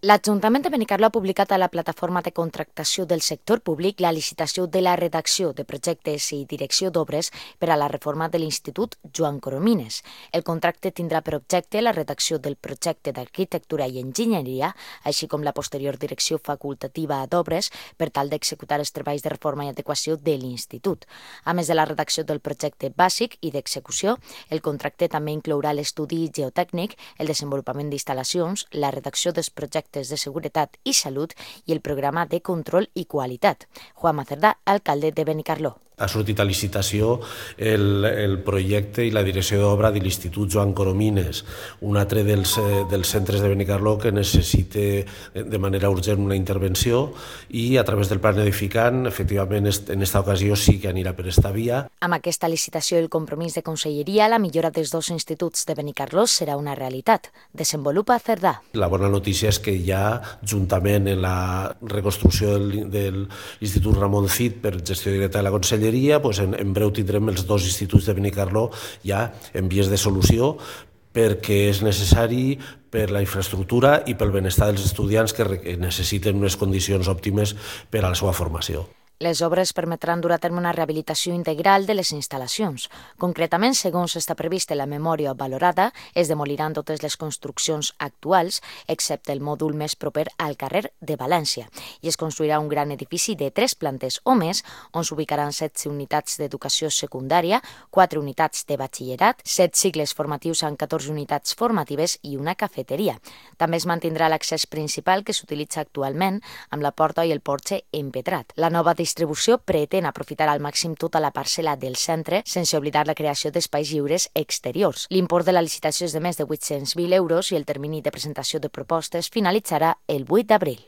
L'Ajuntament de Benicarló ha publicat a la plataforma de contractació del sector públic la licitació de la redacció de projectes i direcció d'obres per a la reforma de l'Institut Joan Coromines. El contracte tindrà per objecte la redacció del projecte d'arquitectura i enginyeria, així com la posterior direcció facultativa d'obres per tal d'executar els treballs de reforma i adequació de l'Institut. A més de la redacció del projecte bàsic i d'execució, el contracte també inclourà l'estudi geotècnic, el desenvolupament d'instal·lacions, la redacció dels projectes de seguretat i salut i el programa de control i qualitat. Juan Macerdà, alcalde de Benicarló. Ha sortit a licitació el projecte i la direcció d'obra de l'Institut Joan Coromines, un altre dels centres de Benicarló que necessita de manera urgent una intervenció i a través del plan edificant, efectivament, en aquesta ocasió sí que anirà per esta via. Amb aquesta licitació i el compromís de Conselleria, la millora dels dos instituts de Benicarló serà una realitat. Desenvolupa Cerdà. La bona notícia és que ja, juntament en la reconstrucció de l'Institut Ramon Cid per gestió directa de la Conselleria, en breu tindrem els dos instituts de Benicarló ja en vies de solució perquè és necessari per la infraestructura i pel benestar dels estudiants que necessiten unes condicions òptimes per a la seva formació. Les obres permetran dur a terme una rehabilitació integral de les instal·lacions. Concretament, segons està previst en la memòria valorada, es demoliran totes les construccions actuals, excepte el mòdul més proper al carrer de València, i es construirà un gran edifici de 3 plantes o més, on s'ubicaran 16 unitats d'educació secundària, 4 unitats de batxillerat, 7 cicles formatius amb 14 unitats formatives i una cafeteria. També es mantindrà l'accés principal que s'utilitza actualment, amb la porta i el porxe empedrat. La nova distribució pretén aprofitar al màxim tota la parcel·la del centre sense oblidar la creació d'espais lliures exteriors. L'import de la licitació és de més de 800.000 euros i el termini de presentació de propostes finalitzarà el 8 d'abril.